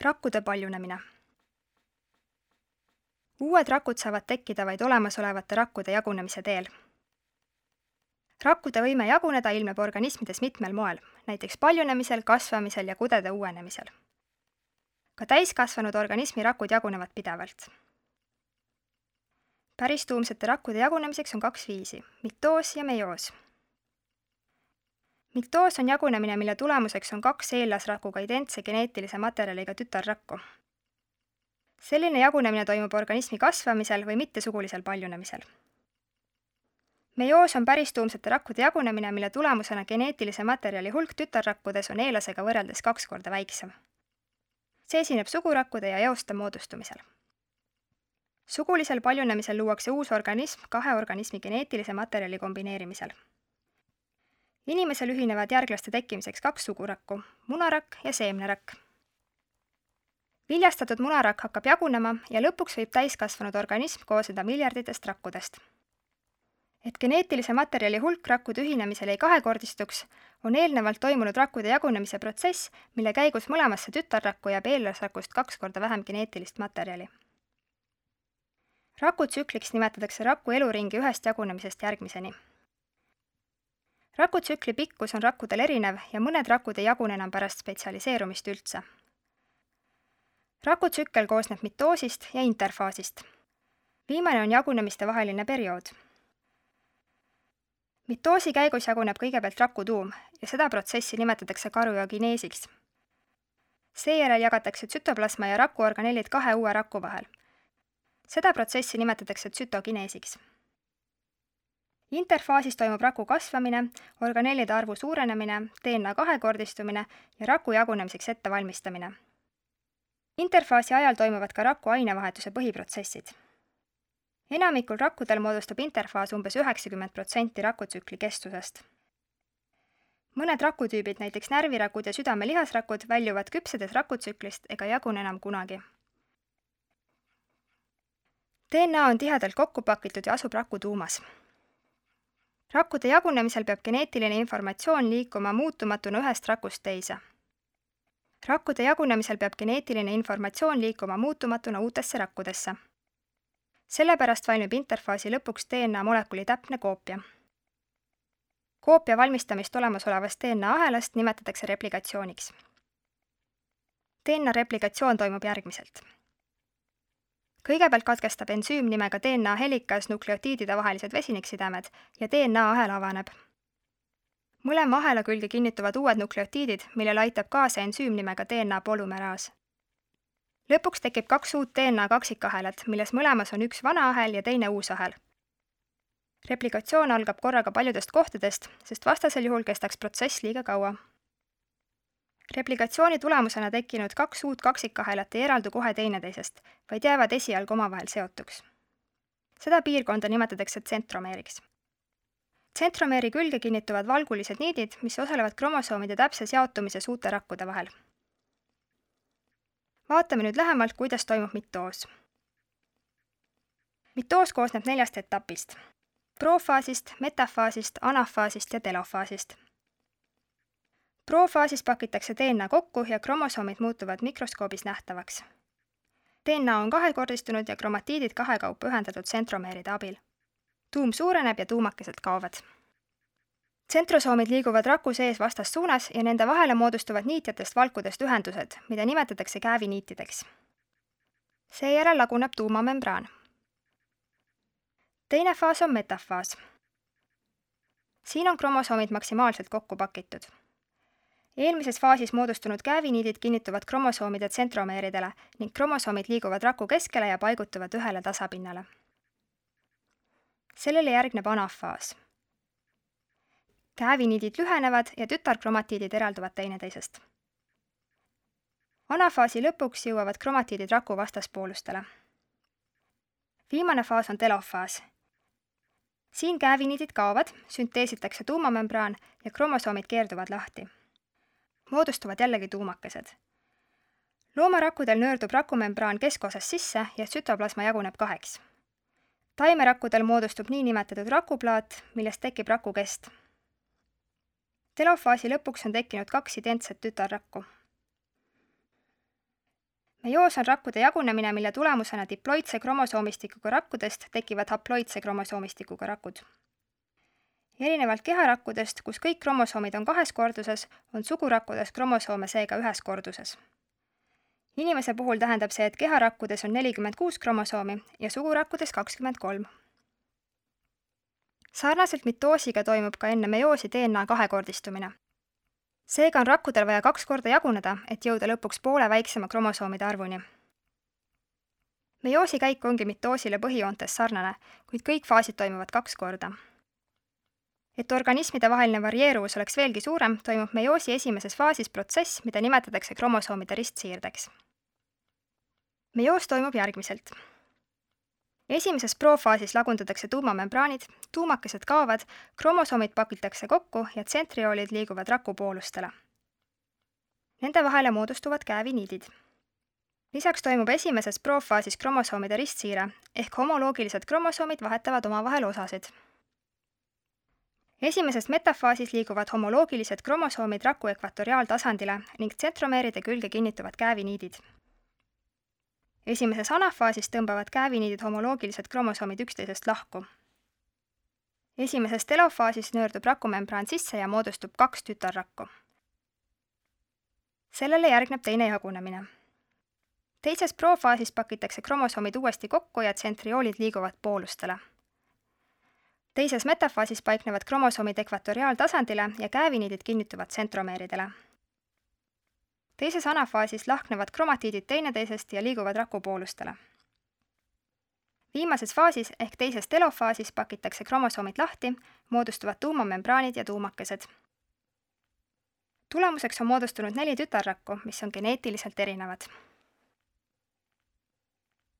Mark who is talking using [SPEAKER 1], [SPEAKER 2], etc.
[SPEAKER 1] Rakkude paljunemine. Uued rakud saavad tekkida vaid olemasolevate rakkude jagunemise teel. Rakkude võime jaguneda ilmneb organismides mitmel moel, näiteks paljunemisel, kasvamisel ja kudede uuenemisel. Ka täiskasvanud organismi rakud jagunevad pidevalt. Päristuumsete rakkude jagunemiseks on 2 viisi, mitoos ja meioos. Mitoos on jagunemine, mille tulemuseks on 2 eellasrakuga identse geneetilise materjaliga tütarrakku. Selline jagunemine toimub organismi kasvamisel või mittesugulisel paljunemisel. Meioos on päristuumsete rakkude jagunemine, mille tulemusena geneetilise materjali hulk tütarrakkudes on eellasega võrreldes 2 korda väiksem. See esineb sugurakkude ja eoste moodustumisel. Sugulisel paljunemisel luuakse uus organism 2 organismi geneetilise materjali kombineerimisel. Inimesel ühinevad järglaste tekkimiseks 2 sugurakku, munarakk ja seemnerakk. Viljastatud munarakk hakkab jagunema ja lõpuks võib täiskasvanud organism koosneda miljarditest rakkudest. Et geneetilise materjali hulk rakkude ühinemisel ei kahekordistuks, on eelnevalt toimunud rakkude jagunemise protsess, mille käigus mõlemasse tütarrakku jääb eellasrakust 2 korda vähem geneetilist materjali. Rakutsükliks nimetatakse raku eluringi ühest jagunemisest järgmiseni. Rakutsükli pikkus on rakkudel erinev ja mõned rakud ei jagune enam pärast spetsialiseerumist üldse. Rakutsükkel koosneb mitoosist ja interfaasist. Viimane on jagunemiste vaheline periood. Mitoosi käigus jaguneb kõigepealt rakutuum ja seda protsessi nimetatakse karyogeneesiks. Seejärel jagatakse tsütoplasma ja rakuorganellid 2 uue raku vahel. Seda protsessi nimetatakse tsütogeneesiks. Interfaasis toimub raku kasvamine, organellide arvu suurenemine, DNA kahekordistumine ja raku jagunemiseks ettevalmistamine. Interfaasi ajal toimuvad ka raku ainevahetuse põhiprotsessid. Enamikul rakkudel moodustab interfaas umbes 90% rakutsükli kestusest. Mõned rakutüübid, näiteks närvirakud ja südame-lihasrakud, väljuvad küpsedes rakutsüklist ega jagune enam kunagi. DNA on tihedalt kokku pakitud ja asub rakutuumas. Rakkude jagunemisel peab geneetiline informatsioon liikuma muutumatuna ühest rakust teise. Rakkude jagunemisel peab geneetiline informatsioon liikuma muutumatuna uutesse rakkudesse. Sellepärast valmib interfaasi lõpuks DNA molekuli täpne koopia. Koopia valmistamist olemasolevast DNA ahelast nimetatakse replikatsiooniks. DNA replikatsioon toimub järgmiselt. Kõigepealt katkestab ensüüm nimega DNA helikas nukleotiidide vahelised vesiniksidemed ja DNA ahel avaneb. Mõlema ahela külge kinnituvad uued nukleotiidid, millele aitab kaasa ensüüm nimega DNA polümeraas. Lõpuks tekib 2 uut DNA kaksikahelat, milles mõlemas on üks vana ahel ja teine uus ahel. Replikatsioon algab korraga paljudest kohtadest, sest vastasel juhul kestaks protsess liiga kaua. Replikatsiooni tulemusena tekkinud 2 uut kaksikahelat ei eraldu kohe teineteisest, vaid jäävad esialgu omavahel seotuks. Seda piirkonda nimetatakse tsentromeeriks. Tsentromeeri külge kinnituvad valgulised niidid, mis osalevad kromosoomide täpses jaotumises uute rakkude vahel. Vaatame nüüd lähemalt, kuidas toimub mitoos. Mitoos koosneb 4 etapist: profaasist, metafaasist, anafaasist ja telofaasist. Profaasis pakitakse DNA kokku ja kromosoomid muutuvad mikroskoobis nähtavaks. DNA on kahekordistunud ja kromatiidid kahekaupa ühendatud tsentromeeride abil. Tuum suureneb ja tuumakesed kaovad. Tsentrosoomid liiguvad raku sees vastassuunas ja nende vahele moodustuvad niitjatest valkudest ühendused, mida nimetatakse kääviniitideks. Seejärel laguneb tuumamembraan. Teine faas on metafaas. Siin on kromosoomid maksimaalselt kokku pakitud. Eelmises faasis moodustunud kääviniidid kinnituvad kromosoomide tsentromeeridele ning kromosoomid liiguvad raku keskele ja paigutuvad ühele tasapinnale. Sellele järgneb anafaas. Kääviniidid lühenevad ja tütarkromatiidid eralduvad teineteisest. Anafaasi lõpuks jõuavad kromatiidid raku vastaspoolustele. Viimane faas on telofaas. Siin kääviniidid kaovad, sünteesitakse tuumamembraan ja kromosoomid keerduvad lahti. Moodustuvad jällegi tuumakesed. Loomarakkudel nöördub rakumembraan keskosas sisse ja tsütoplasma jaguneb 2. Taimerakkudel moodustub niinimetatud rakuplaat, millest tekib rakukest. Telofaasi lõpuks on tekkinud 2 identset tütarrakku. meioos on rakkude jagunemine, mille tulemusena diploidse kromosoomistikuga rakkudest tekivad haploidse kromosoomistikuga rakud. Erinevalt keharakkudest, kus kõik kromosoomid on 2 korduses, on sugurakkudes kromosoome seega 1 korduses. Inimese puhul tähendab see, et keharakkudes on 46 kromosoomi ja sugurakkudes 23. Sarnaselt mitoosiga toimub ka enne meioosi DNA kahekordistumine. Seega on rakkudel vaja 2 korda jaguneda, et jõuda lõpuks poole väiksema kromosoomide arvuni. Meioosi käik ongi mitoosile põhijoontes sarnane, kuid kõik faasid toimuvad 2 korda. Et organismide vaheline varieeruvus oleks veelgi suurem, toimub meioosi esimeses faasis protsess, mida nimetatakse kromosoomide ristsiirdeks. Meioos toimub järgmiselt. Esimeses profaasis lagundatakse tuumamembraanid, tuumakesed kaovad, kromosoomid pakitakse kokku ja tsentrioolid liiguvad rakupoolustele. Nende vahele moodustuvad kääviniidid. Lisaks toimub esimeses profaasis kromosoomide ristsiire, ehk homoloogilised kromosoomid vahetavad omavahel osasid. Esimeses metafaasis liiguvad homoloogilised kromosoomid raku ekvatoriaaltasandile ning tsentromeeride külge kinnituvad kääviniidid. Esimeses anafaasis tõmbavad kääviniidid homoloogilised kromosoomid üksteisest lahku. Esimeses telofaasis nöördub rakumembraan sisse ja moodustub 2 tütarrakku. Sellele järgneb teine jagunemine. Teises profaasis pakitakse kromosoomid uuesti kokku ja tsentrioolid liiguvad poolustele. Teises metafaasis paiknevad kromosoomid ekvatoriaaltasandile ja kääviniidid kinnituvad tsentromeeridele. Teises anafaasis lahknevad kromatiidid teineteisest ja liiguvad rakupoolustele. Viimases faasis ehk teises telofaasis pakitakse kromosoomid lahti, moodustuvad tuumamembraanid ja tuumakesed. Tulemuseks on moodustunud 4 tütarrakku, mis on geneetiliselt erinevad.